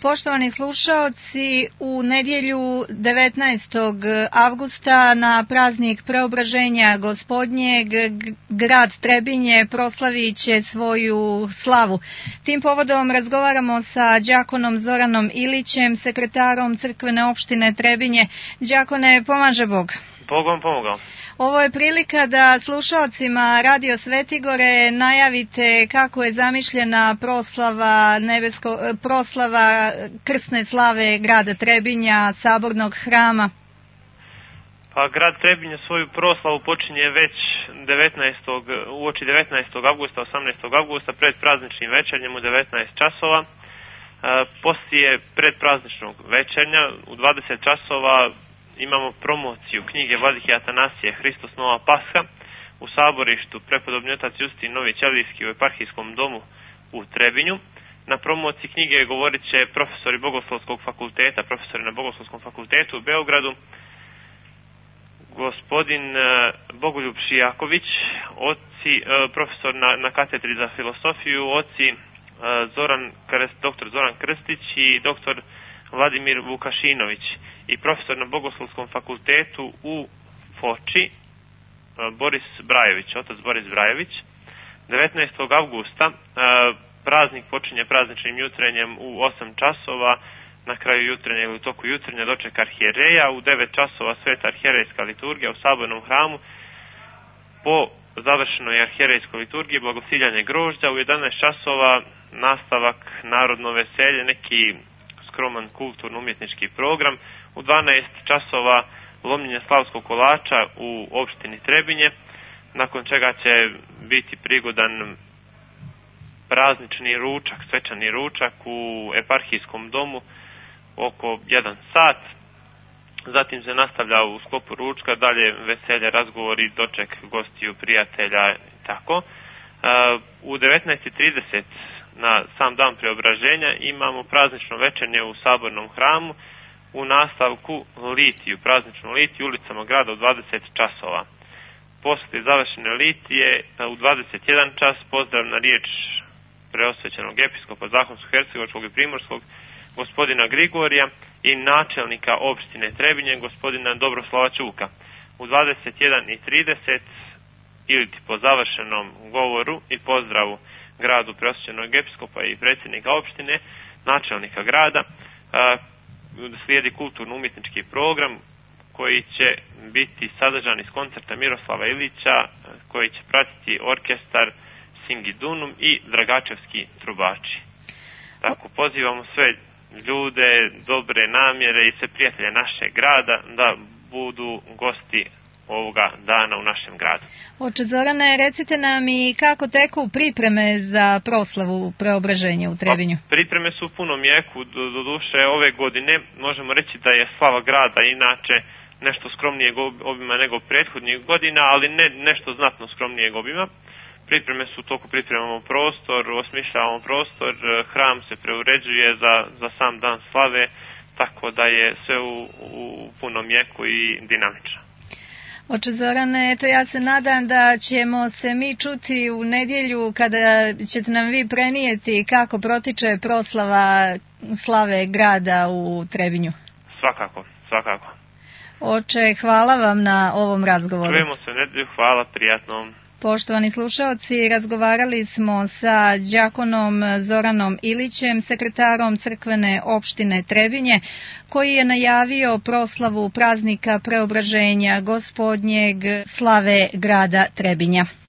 Poštovani slušaoci, u nedjelju 19. avgusta na praznik Preobraženja Gospodnjeg grad Trebinje proslavit će svoju slavu. Tim povodom razgovaramo sa đakonom Zoranom Ilićem, sekretarom crkvene opštine Trebinje. Đakone, pomaže Bog. Bog vam pomogao. Ovo je prilika da slušaocima Radio Svetigore najavite kako je zamišljena proslava krsne slave grada Trebinja, sabornog hrama. Pa grad Trebinje svoju proslavu počinje već uoči 19. avgusta, 18. avgusta pred prazničnim večernjem u 19 časova. Poslije predprazničnog večernja u 20 časova imamo promociju knjige Vladike Atanasije Hristos Nova Pasha u saborištu prepodobni otac Justin Novi Ćelijski u eparhijskom domu u Trebinju. Na promociji knjige govorit će profesori na Bogoslovskom fakultetu u Beogradu, gospodin Bogoljub Šijaković, profesor na katedri za filosofiju, dr. Zoran Krstić i dr. Vladimir Vukašinović i profesor na Bogoslovskom fakultetu u Foči, otac Boris Brajević. 19. avgusta praznik počinje prazničnim jutrenjem u 8 časova, na kraju jutrenja ili u toku jutrenja doček arhijereja, u 9 časova sveta arhijerejska liturgija u sabornom hramu, po završenoj arhijerejskoj liturgiji blagosiljanje grožđa, u 11 časova nastavak narodno veselje, neki skroman kulturno-umjetnički program, u 12 časova lomljenje slavskog kolača u opštini Trebinje, nakon čega će biti prigodan praznični ručak, svečani ručak u eparhijskom domu oko 1 sat. Zatim se nastavlja u sklopu ručka dalje veselje, razgovori, doček gostiju, prijatelja i tako. U 19:30 na sam dan Preobraženja imamo praznično večernje u sabornom hramu, u nastavku prazničnu litiju ulicama grada u 20 časova. Poslije završene litije u 21 čas pozdravna riječ preosvećenog episkopa Zahumsko-hercegovačkog i primorskog gospodina Grigorija i načelnika opštine Trebinje gospodina Dobroslava Ćuka. U 21:30 ili po završenom govoru i pozdravu gradu preosvećenog episkopa i predsjednika opštine, načelnika grada, slijedi kulturno-umjetnički program koji će biti sadržan iz koncerta Miroslava Ilića, koji će pratiti orkestar Singidunum i Dragačevski trubači. Tako, pozivamo sve ljude, dobre namjere i sve prijatelje našeg grada da budu gosti ovoga dana u našem gradu. Oče Zorane, recite nam i kako teku pripreme za proslavu Preobraženja u Trebinju? Pripreme su u punom jeku, doduše ove godine možemo reći da je slava grada inače nešto skromnijeg obima nego prethodnih godina, ali ne nešto znatno skromnijeg obima. Pripreme su u toku, pripremamo prostor, osmišljavamo prostor, hram se preuređuje za sam dan slave, tako da je sve u punom jeku i dinamično. Oče Zorane, eto ja se nadam da ćemo se mi čuti u nedjelju kada ćete nam vi prenijeti kako protiče proslava slave grada u Trebinju. Svakako. Oče, hvala vam na ovom razgovoru. Čujemo se u nedjelju, hvala, prijatno. Poštovani slušaoci, razgovarali smo sa đakonom Zoranom Ilićem, sekretarom crkvene opštine Trebinje, koji je najavio proslavu praznika Preobraženja Gospodnjeg slave grada Trebinja.